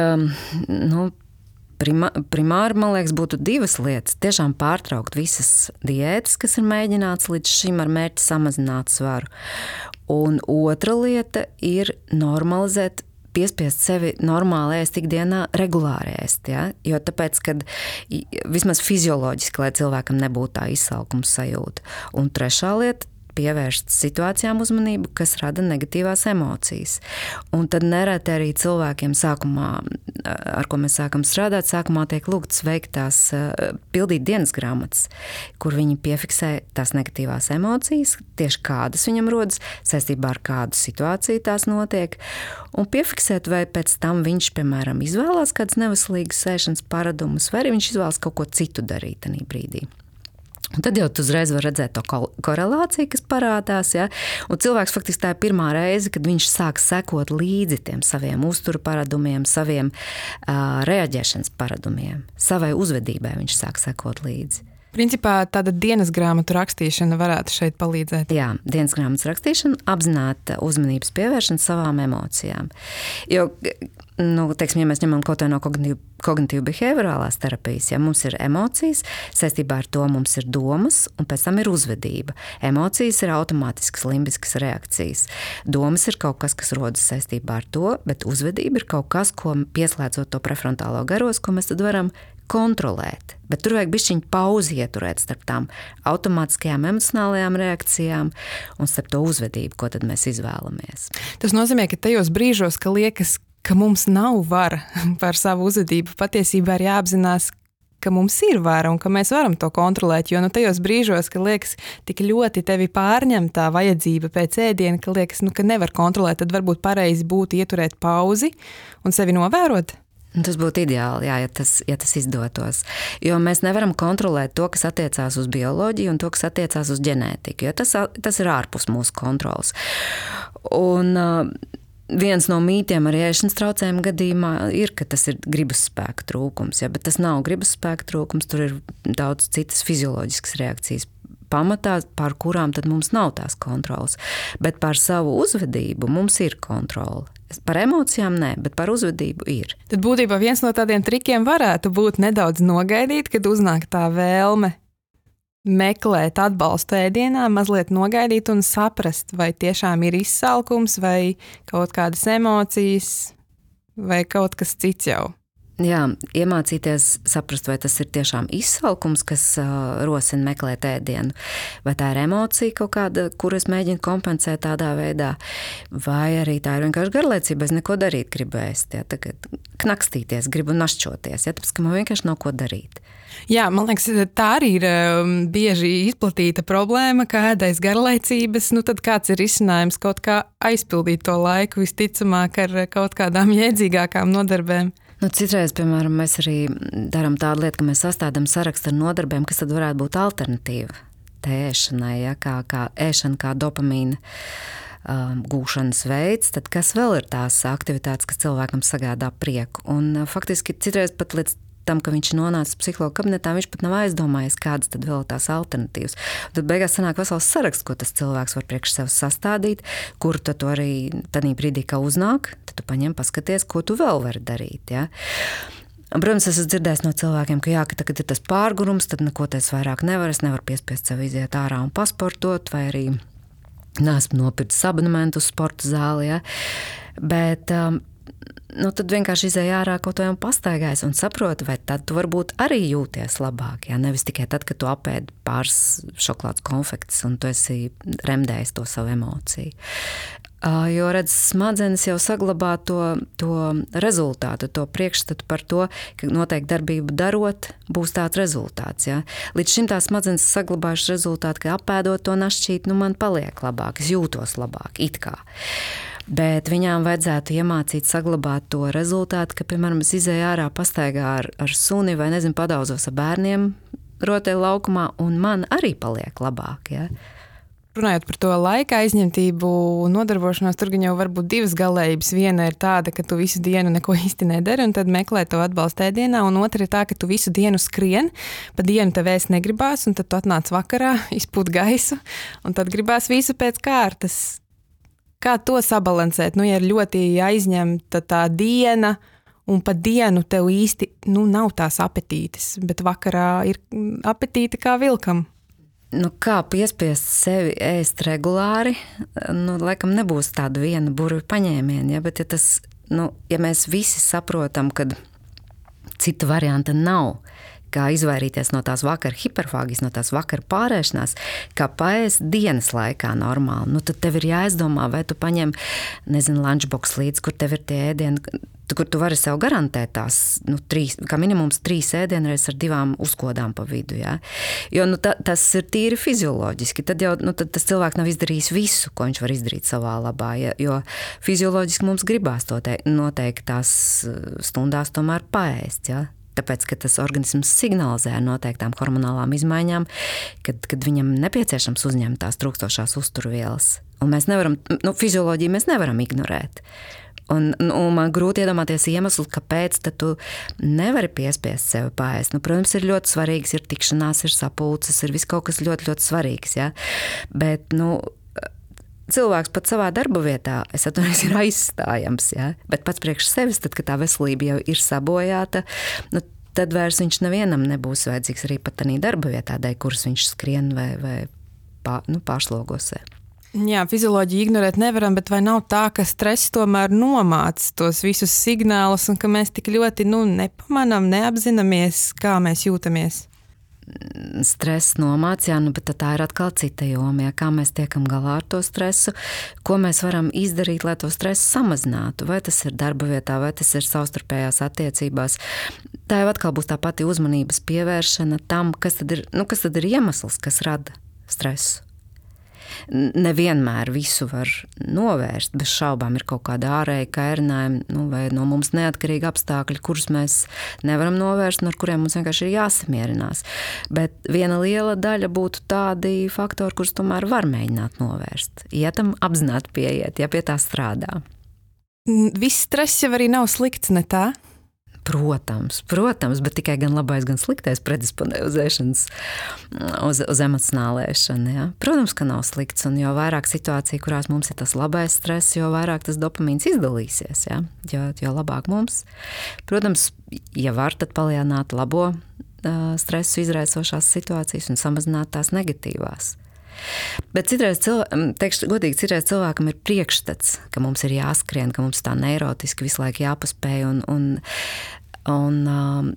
primāri, man liekas, būtu divas lietas. Tiešām pārtraukt visas diētas, kas ir mēģināts līdz šim ar mērķi samazināt svaru. Un otra lieta ir normalizēt, piespiest sevi normāli ēst ikdienā, regulāri ēst. Ja? Jo tāpēc, kad vismaz fizioloģiski, lai cilvēkam nebūtu tā izsalkuma sajūta. Un trešā lieta, pievērst situācijām uzmanību, kas rada negatīvās emocijas. Un tad nereti arī cilvēkiem sākumā, ar ko mēs sākam strādāt, sākumā tiek lūgts veikt tās, pildīt dienas grāmatas, kur viņi piefiksē tās negatīvās emocijas, tieši kādas viņam rodas, saistībā ar kādu situāciju tās notiek, un piefiksēt, vai pēc tam viņš, piemēram, izvēlās kādas neveselīgas ēšanas paradumus, vai arī viņš izvēlas kaut ko citu darīt tajā brīdī. Un tad jau tu uzreiz var redzēt to korelāciju, kas parādās. Ja? Un cilvēks faktiski tā ir pirmā reize, kad viņš sāk sekot līdzi tiem saviem uzturu paradumiem, saviem reaģēšanas paradumiem, savai uzvedībai viņš sāk sekot līdzi. Principā tāda dienas grāmatu rakstīšana varētu šeit palīdzēt. Jā, dienas grāmatas rakstīšana, apzināta uzmanības pievēršana savām emocijām. Jo, teiksim, ja mēs ņemam kaut vai no kognitīvu behaviorālās terapijas, ja mums ir emocijas, saistībā ar to mums ir domas, un pēc tam ir uzvedība. Emocijas ir automātiskas limbiskas reakcijas. Domas ir kaut kas, kas rodas saistībā ar to, bet uzvedība ir kaut kas, ko pieslēdzot to prefrontālo garos, ko mēs tad varam kontrolēt. Bet tur vajag bišķiņu pauzi ieturēt starp tām automātiskajām emocionālajām reakcijām un starp to uzvedību, ko tad mēs izvēlamies. Tas nozīmē, ka tajos brīžos, ka liekas, ka mums nav vara par savu uzvedību, patiesībā ir jāapzinās, ka mums ir vara un ka mēs varam to kontrolēt, jo tajos brīžos, ka liekas tik ļoti tevi pārņem tā vajadzība pēc ēdiena, ka liekas, ka nevar kontrolēt, tad varbūt pareizi būtu ieturēt pauzi un sevi novērot. Tas būtu ideāli, jā, ja tas izdotos. Jo mēs nevaram kontrolēt to, kas attiecās uz bioloģiju un to, kas attiecās uz ģenētiku, jo tas ir ārpus mūsu kontrolas. Un viens no mītiem arī ēšanas traucējumu gadījumā ir, ka tas ir gribas spēka trūkums, ja, bet tas nav gribas spēka trūkums, tur ir daudz citas fizioloģiskas reakcijas pamatā, pār kurām tad mums nav tās kontrolas. Bet par savu uzvedību mums ir kontrola. Par emocijām nē, bet par uzvedību ir. Tad būtībā viens no tādiem trikiem varētu būt nedaudz nogaidīt, kad uznāk tā vēlme meklēt atbalstu ēdienā, mazliet nogaidīt un saprast, vai tiešām ir izsalkums, vai kaut kādas emocijas, vai kaut kas cits jau. Jā, iemācīties saprast, vai tas ir tiešām izsalkums, kas rosina meklēt ēdienu, vai tā ir emocija kaut kāda, kur es mēģinu kompensēt tādā veidā, vai arī tā ir vienkārši garlaicība, es neko darīt gribu ēst, ja, tagad knakstīties, gribu našķoties, ja, tāpēc, ka man vienkārši nav ko darīt. Jā, man liekas, tā arī ir bieži izplatīta problēma, ka ēdais garlaicības, tad kāds ir risinājums kaut kā aizpildīt to laiku, visticamāk ar kaut kādām jēdzīgākām nodarbēm. Citreiz, piemēram, mēs arī darām tādu lietu, ka mēs sastādām sarakstu ar nodarbēm, kas tad varētu būt alternatīva tai ēšanai, ja, kā ēšana, kā dopamīna gūšanas veids, tad kas vēl ir tās aktivitātes, kas cilvēkam sagādā prieku. Un faktiski citreiz pat līdz tam, ka viņš nonāca psihologa kabinetā, viņš pat nav aizdomājies, kādas tad vēl tās alternatīvas. Un tad beigās sanāk vesels saraksts, ko tas cilvēks var priekš sev sastādīt, kur tad to arī tādā brīdī, kā uznāk, tad tu paņem paskaties, ko tu vēl vari darīt. Ja? Un, protams, es esmu dzirdējis no cilvēkiem, ka jā, ka tagad ir tas pārgurums, tad neko es vairāk nevaru, es nevaru piespiest sev iziet ārā un pasportot, vai arī neesmu nopircis abonementu uz sporta zāli. Ja? Bet tad vienkārši izēj ārā kaut vai un pastaigājas un saproti, vai tad tu varbūt arī jūties labāk. Ja? Nevis tikai tad, kad tu apēdi pāris šokolādes konfektes un tu esi remdējis to savu emociju. Jo, redz, smadzenes jau saglabā to rezultātu, to priekšstatu par to, ka noteikti darbību darot, būs tāds rezultāts. Ja? Līdz šim tā smadzenes saglabājuši rezultātu, ka apēdot to našķīt, man paliek labāk, es jūtos labāk, it kā. Bet viņām vajadzētu iemācīt saglabāt to rezultātu, ka, piemēram, es izēju ārā pastaigā ar suni vai, nezinu, padauzos ar bērniem rotaļu laukumā, un man arī paliek labāk, ja? Runājot par to laika aizņemtību un nodarbošanos, tur gan jau var būt divas galējības. Viena ir tāda, ka tu visu dienu neko īsti nedari un tad meklē to atbalstu ēdienā, un otra ir tā, ka tu visu dienu skrien, pa dienu tev ēst negribās, un tad tu atnāc vakarā, izpūt gaisu, un tad gribās visu pēc kārtas. Kā to sabalansēt? Ja ir ļoti aizņemta tā diena, un pa dienu tev īsti nav tās apetītes, bet vakarā ir apetīte kā vilkam. Kā piespiest sevi ēst regulāri, laikam nebūs tāda viena burvju paņēmiena, ja? Bet ja mēs visi saprotam, ka cita varianta nav, kā izvairīties no tās vakara hiperfāgijas, no tās vakara pārēšanās, kā paēst dienas laikā normāli, tad tev ir jāizdomā, vai tu paņem, lunchbox līdz, kur tev ir tie ēdieni, kur tu vari sev garantēt tās, kā minimums 3 ēdienreizes ar 2 uzkodām pa vidu, ja? Jo, tas ir tīri fizioloģiski, tad jau, tad tas cilvēks nav izdarījis visu, ko viņš var izdarīt savā labā, ja? Jo fizioloģiski mums gribās to noteiktās stundās tomēr paēst, ja? Tāpēc, ka tas organisms signalizē ar noteiktām hormonālām izmaiņām, kad viņam nepieciešams uzņemt tās trūkstošās uzturvielas. Un mēs nevaram, fizioloģiju mēs nevaram ignorēt. Un man grūti iedomāties iemeslu, kāpēc tu nevari piespiest sevi paēst. Protams, ir ļoti svarīgs, ir tikšanās, ir sapulces, ir viss kaut kas ļoti, ļoti svarīgs. Ja? Bet, cilvēks pat savā darba vietā, es atvainojos, ir aizstājams. Ja? Bet pats priekš sevis, tad, kad tā veselība jau ir sabojāta, tad vairs viņš nevienam nebūs vajadzīgs arī pat tādā darba vietā, dēļ kuras viņš skrien vai pārslogosē. Jā, fizioloģiju ignorēt nevaram, bet vai nav tā, ka stress tomēr nomāc tos visus signālus un ka mēs tik ļoti nepamanām, neapzināmies, kā mēs jūtamies? Stress nomāc, jā, bet tā ir atkal cita joma, kā mēs tiekam galā ar to stresu, ko mēs varam izdarīt, lai to stresu samazinātu, vai tas ir darba vietā, vai tas ir savstarpējās attiecībās. Tā jau atkal būs tā pati uzmanības pievēršana tam, kas tad ir iemesls, kas rada stresu. Nevienmēr visu var novērst, bez šaubām ir kaut kāda ārēja kairinājuma, vai no mums neatkarīgi apstākļi, kurus mēs nevaram novērst, un ar kuriem mums vienkārši ir jāsamierinās. Bet viena liela daļa būtu tādi faktori, kurus tomēr var mēģināt novērst. Ja tam apzināti pieiet, ja pie tā strādā. Viss stress jau arī nav slikts, ne tā? Protams, bet tikai gan labais, gan sliktais predisponē uz emocionālu ēšanu. Ja? Protams, ka nav slikts, un jo vairāk situācija, kurās mums ir tas labais stress, jo vairāk tas dopamīns izdalīsies, ja? jo labāk mums. Protams, ja var, tad palielināt labo stresu izraisošās situācijas un samazināt tās negatīvās. Bet citreiz cilvēkam ir priekšstats, ka mums ir jāskrien, ka mums tā neirotiski visu laiku jāpaspēj un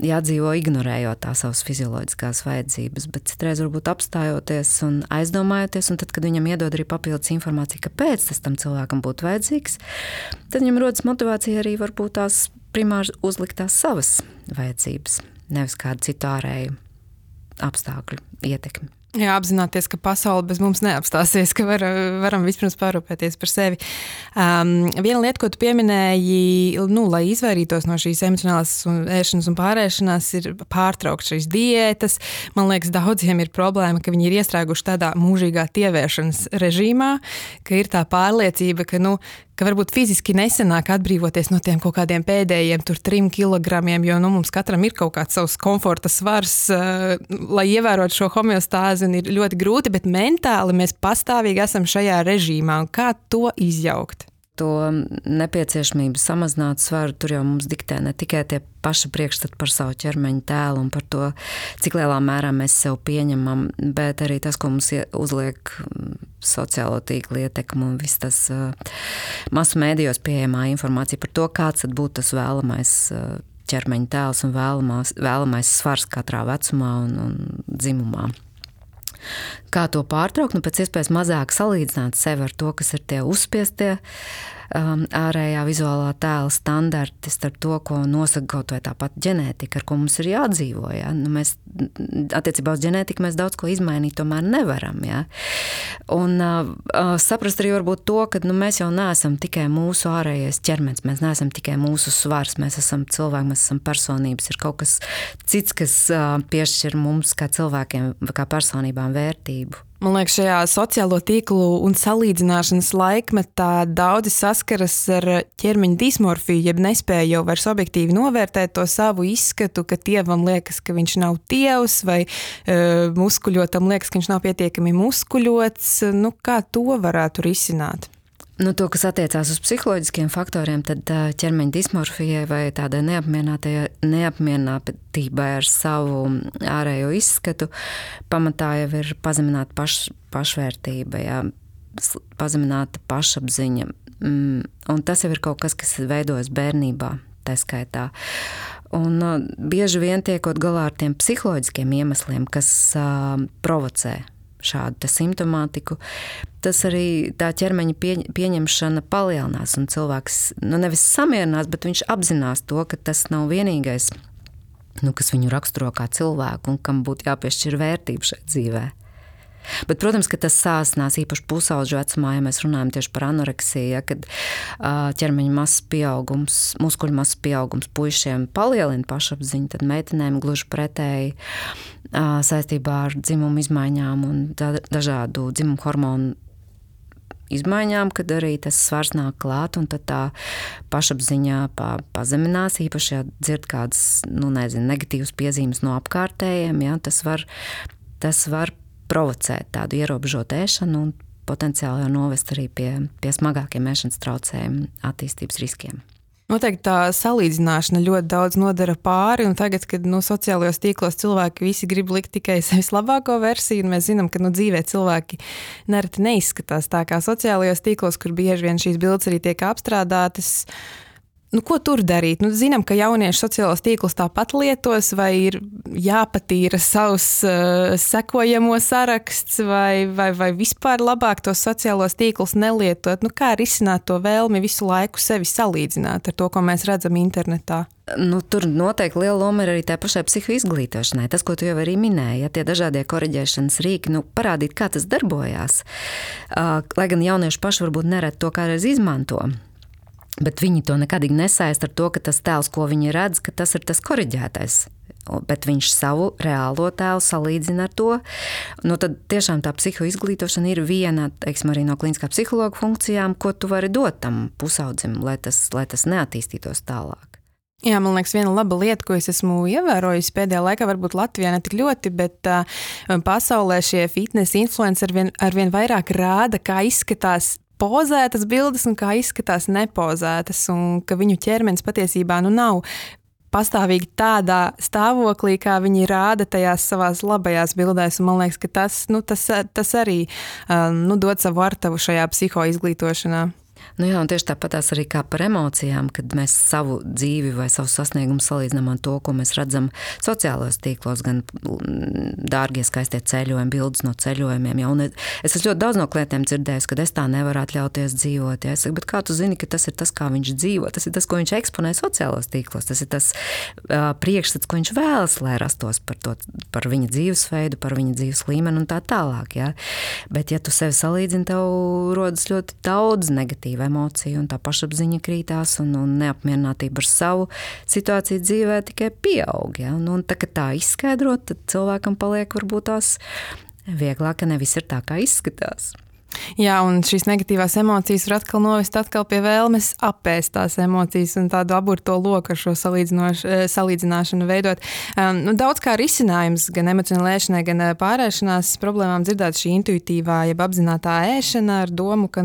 jādzīvo ignorējot tās savas fizioloģiskās vajadzības. Bet citreiz varbūt apstājoties un aizdomājoties, un tad, kad viņam iedod arī papildus informāciju, kāpēc tas tam cilvēkam būtu vajadzīgs, tad viņam rodas motivācija arī varbūt tās primāri uzlikt tās savas vajadzības, nevis kādu citu ārēju apstākļu ietekmi. Jā, apzināties, ka pasaule bez mums neapstāsies, ka varam vispirms parūpēties par sevi. Viena lieta, ko tu pieminēji, lai izvairītos no šīs emocionālās ēšanas un pārēšanās, ir pārtraukt šīs diētas. Man liekas, daudziem ir problēma, ka viņi ir iestrēguši tādā mūžīgā tievēršanas režīmā, ka ir tā pārliecība, ka varbūt fiziski nesenāk atbrīvoties no tiem kaut kādiem pēdējiem 3 kilogramiem, jo mums katram ir kaut kāds savs komforta svars, lai ievērotu šo homeostāzi, un ir ļoti grūti, bet mentāli mēs pastāvīgi esam šajā režīmā. Un kā to izjaukt? To nepieciešamību samazināt svaru, tur jau mums diktē ne tikai tie paši priekšstati par savu ķermeņa tēlu un par to, cik lielā mērā mēs sev pieņemam, bet arī tas, ko mums uzliek sociālo tīklu ietekmu un viss tas masu mēdījos pieejamā informācija par to, kāds tad būtu tas vēlamais ķermeņa tēls un vēlamais svars katrā vecumā un dzimumā. Kā to pārtraukt? Pēc iespējas mazāk salīdzināt sevi ar to, kas ir tie uzspiestie ārējā vizuālā tēla standarti starp to, ko nosaka kaut vai tāpat ģenētika, ar ko mums ir jādzīvo. Ja? Nu, mēs attiecībā uz ģenētiku mēs daudz ko izmainīt tomēr nevaram. Ja? Un saprast arī varbūt to, ka mēs jau neesam tikai mūsu ārējais ķermenis, mēs neesam tikai mūsu svars, mēs esam cilvēki, mēs esam personības, ir kaut kas cits, kas piešķir mums kā cilvēkiem, kā personībām vērtību. Man liekas, šajā sociālo tīklu un salīdzināšanas laikmetā daudzi saskaras ar ķermeņa dismorfiju, jeb nespēja jau vairs objektīvi novērtēt to savu izskatu, ka tievam liekas, ka viņš nav tievs, vai muskuļotam liekas, ka viņš nav pietiekami muskuļots. Nu, kā to varētu risināt? Nu, to, kas attiecās uz psiholoģiskiem faktoriem, tad ķermeņa dismorfijai vai tādai neapmierinātībai ar savu ārējo izskatu pamatā jau ir pazemināta pašvērtība, jā, pazemināta pašapziņa. Un tas jau ir kaut kas veidojas bērnībā, tā skaitā. Un bieži vien tiekot galā ar tiem psiholoģiskiem iemesliem, kas provocē šādu simptomātiku, tas arī tā ķermeņa pieņemšana palielinās, un cilvēks nevis samierinās, bet viņš apzinās to, ka tas nav vienīgais, kas viņu raksturo kā cilvēku un kam būtu jāpiešķir vērtība šai dzīvē. Bet, protams, ka tas sāsinās īpaši pusauģu vecumā, ja mēs runājam tieši par anoreksiju, ja, kad ķermeņa masas pieaugums, muskuļu masas pieaugums puišiem palielina pašapziņu, tad meitenēm gluži pretēji saistībā ar dzimumu izmaiņām un dažādu dzimumu hormonu izmaiņām, kad arī tas svars nāk klāt, un tad tā pašapziņā pazeminās, īpaši, ja dzird kādas, negatīvas piezīmes no apkārtējiem, ja, tas var provocēt tādu ierobežotu ēšanu un potenciāli jau novest arī pie smagākiem ēšanas traucējumu attīstības riskiem. Noteikti tā salīdzināšana ļoti daudz nodara pāri, un tagad, kad sociālajos tīklos cilvēki visi grib likt tikai sevis labāko versiju, un mēs zinām, ka dzīvē cilvēki nereti neizskatās tā kā sociālajos tīklos, kur bieži vien šīs bildes arī tiek apstrādātas. Ko tur darīt? Zinām, ka jaunieši sociālos tīklus tāpat lietos, vai ir jāpatīra savs sekojamo saraksts, vai vispār labāk tos sociālos tīklus nelietot? Kā risināt to vēlmi visu laiku sevi salīdzināt ar to, ko mēs redzam internetā? Tur noteikti liela loma ir arī tā pašai psihoizglītošanai. Tas, ko tu jau arī minēji, ja tie dažādie koriģēšanas rīki, parādīt, kā tas darbojās. Lai gan jaunieši paši varbūt nereti to kādreiz izmanto. Bet viņi to nekadīgi nesaist ar to, ka tas tēls, ko viņi redz, ka tas ir tas koriģētais. Bet viņš savu reālo tēlu salīdzina ar to. Tad tiešām tā psihoizglītošana ir viena, teiksim, arī no klīniskā psihologa funkcijām, ko tu vari dot tam pusaudzim, lai tas neattīstītos tālāk. Jā, man liekas, viena laba lieta, ko es esmu ievērojusi pēdējā laikā, varbūt Latvijā ne tik ļoti, bet pasaulē šie fitness influenceri arvien vairāk rāda, kā izskatās pozētas bildes un kā izskatās nepozētas, un ka viņu ķermenis patiesībā nav pastāvīgi tādā stāvoklī, kā viņi rāda tajās savās labajās bildēs, un man liekas, ka tas arī dod savu artavu šajā psihoizglītošanā. Jā, un tieši tāpatās arī kā par emocijām, kad mēs savu dzīvi vai savu sasniegumu salīdzinām ar to, ko mēs redzam sociālajos tīklos, gan dārgie skaistie ceļojumi, bildes no ceļojumiem. Ja? Un es ļoti daudz no klientiem dzirdējusi, ka es tā nevaru atļauties dzīvot. Ja? Es saku, bet kā tu zini, ka tas ir tas, kā viņš dzīvo? Tas ir tas, ko viņš eksponē sociālajos tīklos. Tas ir tas priekšstats, ko viņš vēlas, lai rastos par viņa dzīvesveidu, par viņa dzīves līmeni un tā tālāk. Ja? Bet ja tu sevi salīdzini, tev rodas ļoti daudz negatīva emociju, un tā pašapziņa krītās, un neapmierinātība ar savu situāciju dzīvē tikai pieaug. Ja? Un tā izskaidrot, tad cilvēkam paliek varbūt tās vieglāk, ka nevis ir tā, kā izskatās. Jā, un šīs negatīvās emocijas var atkal novest pie vēlmes apēst tās emocijas un tādu aburto loku ar šo salīdzināšanu veidot. Daudz kā risinājums gan emocionālai ēšanai, gan pārēšanās problēmām dzirdēt šī intuitīvā, jeb apzinātā ēšana ar domu, ka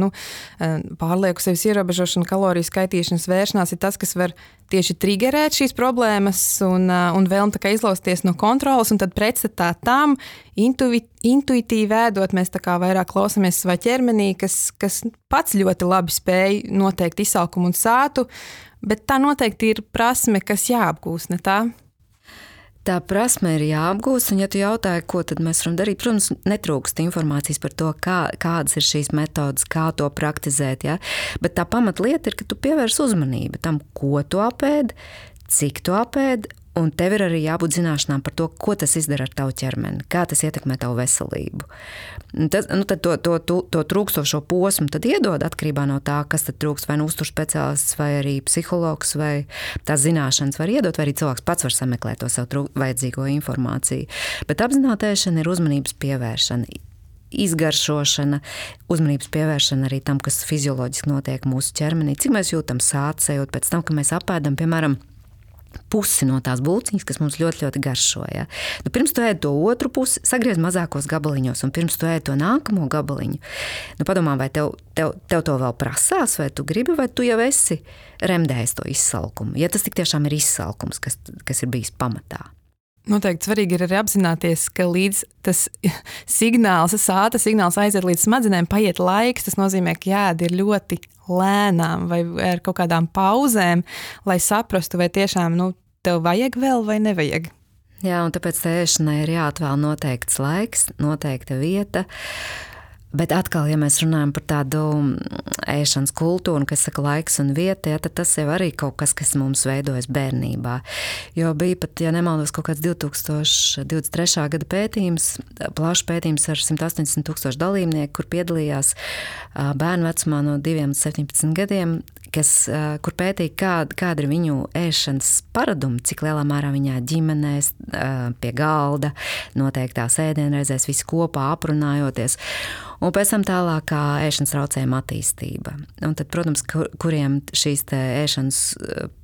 pārlieku sevis ierobežošana, kaloriju skaitīšanas vēršanās ir tas, kas var tieši triggerēt šīs problēmas un vēlme tā kā izlausties no kontrolas, un tad pretstatā tam intuitīvi ēdot, mēs tā kā vairāk klausamies savā ķermenī, kas pats ļoti labi spēj noteikt izsalkumu un sātu, bet tā noteikti ir prasme, kas jāapgūst, ne tā? Tā prasme ir jāapgūst, un ja tu jautāji, ko tad mēs varam darīt, protams, netrūkst informācijas par to, kādas ir šīs metodas, kā to praktizēt, ja? Bet tā pamatlieta ir, ka tu pievērs uzmanību tam, ko tu apēd, cik tu apēd, un tev ir arī jābūt zināšanām par to, ko tas izdara ar tavu ķermeni, kā tas ietekmē tavu veselību. Tad to trūkstošo posmu tad iedod atkarībā no tā, kas tad trūkst, vai nu uzturs speciālists, vai arī psihologs, vai tās zināšanas var iedot, vai arī cilvēks pats var sameklēt to savu vajadzīgo informāciju. Bet apzināta ēšana ir uzmanības pievēršana, izgaršošana, uzmanības pievēršana arī tam, kas fizioloģiski notiek mūsu ķermenī, cik mēs jūtam sācējot pēc tam, ka mēs apēdam, piemēram, pusi no tās bulciņas, kas mums ļoti, ļoti garšo. Ja? Pirms tu ēd to otru pusi, sagriez mazākos gabaliņos, un pirms tu ēd to nākamo gabaliņu, padomā, vai tev to vēl prasās, vai tu gribi, vai tu jau esi remdējis to izsalkumu. Ja tas tik tiešām ir izsalkums, kas ir bijis pamatā. Noteikti svarīgi ir arī apzināties, ka līdz tas sāta signāls aiziet līdz smadzenēm, paiet laiks. Tas nozīmē, ka jāēd ir ļoti lēnām vai ar kaut kādām pauzēm, lai saprastu, vai tiešām tev vajag vēl vai nevajag. Jā, un tāpēc ēšanai ir jāatvēl noteikts laiks, noteikta vieta. Bet atkal, ja mēs runājam par tādu ēšanas kultūru, kas saka laiks un vieta, ja, tad tas jau arī kaut kas, kas mums veidojas bērnībā. Jo bija pat, ja nemaldos, kaut kāds 2023. gada pētījums, plašs pētījums ar 180,000 dalībnieku, kur piedalījās bērnu vecumā no 2 līdz 17 gadiem, kur pētīja, kāda ir viņu ēšanas paradumi, cik lielā mērā viņā ģimenēs, pie galda, noteiktās ēdienreizēs, visi kopā aprunājoties. Un pēc tam tālākā ēšanas traucējuma attīstība. Un tad, protams, kuriem šīs ēšanas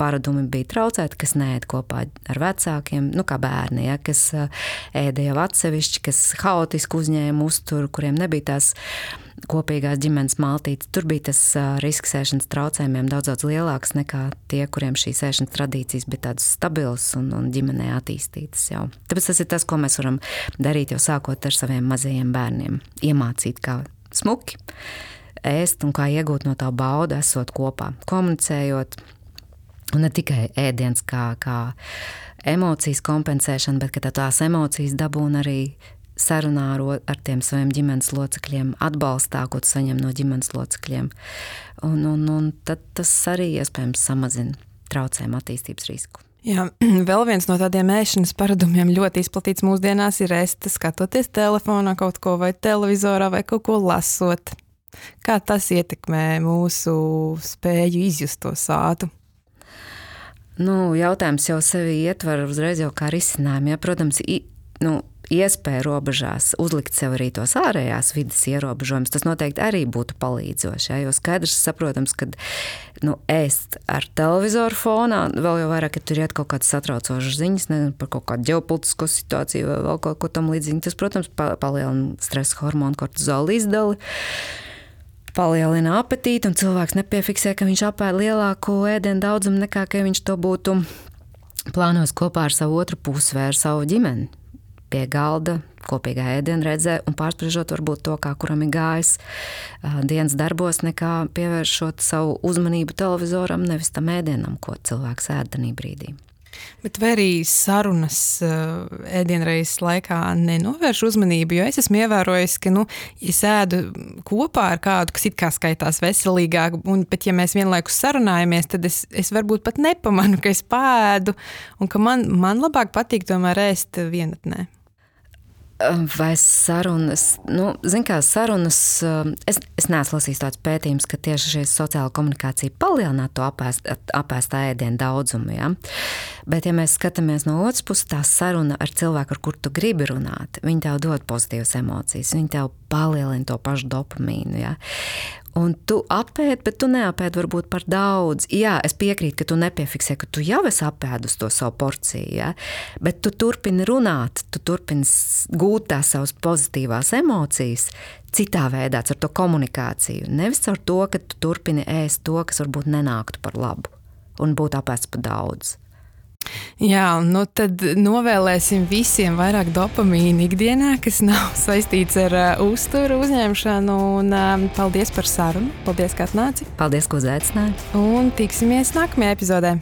paradumi bija traucēti, kas neēd kopā ar vecākiem, kā bērni, ja, kas ēda jau atsevišķi, kas haotiski uzņēma uzturu, kuriem nebija tās kopīgās ģimenes maltītes. Tur bija tas risks ēšanas traucējumiem daudz lielāks nekā tie, kuriem šīs ēšanas tradīcijas bija tādas stabilas un ģimenē attīstītas jau. Tāpēc tas ir tas, ko mēs varam darīt jau sākot ar saviem mazajiem bērniem. Iemācīt, kā smuki ēst un kā iegūt no tā bauda, esot kopā, komunicējot. Un ne tikai ēdiens kā emocijas kompensēšana, bet ka tās emocijas dabūna arī sarunā ar tiem saviem ģimenes locekļiem, atbalstā, ko tu saņem no ģimenes locekļiem. Un tad tas arī iespējams samazina traucējumu attīstības risku. Jā, vēl viens no tādiem ēšanas paradumiem ļoti izplatīts mūsdienās ir ēst, skatoties telefonā kaut ko vai televizorā vai kaut ko lasot. Kā tas ietekmē mūsu spēju izjust to sātu? Jautājums jau sevi ietver uzreiz jau kā risinājumu. Ja, protams, iespēja robežās uzlikt sev arī tos ārējās vidas ierobežojumus, tas noteikti arī būtu palīdzoši. Ja? Jo skaidrs, saprotams, ka ēst ar televizoru fonā, vēl jau vairāk, ka tur iet kaut kādas satraucošas ziņas, par kaut kādu ģeopolitisko situāciju vai vēl kaut ko tam līdzīgi. Tas, protams, palielina stresa hormonu kortizola izdali, palielina apetīti, un cilvēks nepiefiksē, ka viņš apēd lielāku ēdienu daudzumu nekā, ka viņš to būtu plānojis kopā ar savu otru pusi vai ar savu ģimeni. Pie galda, kopīgā ēdienreizē un pārspriežot varbūt to, kā kuram ir gājis dienas darbos, nekā pievēršot savu uzmanību televizoram, nevis tam ēdienam, ko cilvēks ēd tajā brīdī. Bet vai arī sarunas ēdienreizes laikā nenovērš uzmanību, jo es esmu ievērojis, ka, ja es ēdu kopā ar kādu, kas it kā skaitās veselīgāk, bet ja mēs vienlaikus sarunājamies, tad es varbūt pat nepamanu, ka es pāēdu un ka man labāk patīk tomēr ēst vienatnē. Vai sarunas, sarunas, es neesmu lasījis tāds pētījums, ka tieši šī sociāla komunikācija palielinātu to apēstā ēdienu daudzumu, ja? Bet, ja mēs skatāmies no otras puses, tā saruna ar cilvēku, ar kur tu gribi runāt, viņi tev dod pozitīvas emocijas, viņi tev palielina to pašu dopamīnu, ja? Un tu apēd, bet tu neapēd varbūt par daudz. Jā, es piekrītu, ka tu nepiefiksē, ka tu jau esi apēdus to savu porciju, ja? Bet tu turpini runāt, tu turpini gūt tās savas pozitīvās emocijas citā veidā, ar to komunikāciju. Nevis ar to, ka tu turpini ēst to, kas varbūt nenāktu par labu un būtu apēsts par daudz. Jā, tad novēlēsim visiem vairāk dopamīna ikdienā, kas nav saistīts ar uzturu uzņemšanu. Un paldies par sarunu. Paldies, ka atnāci. Paldies, ka uzaicināji. Un tiksimies nākamajā epizodē.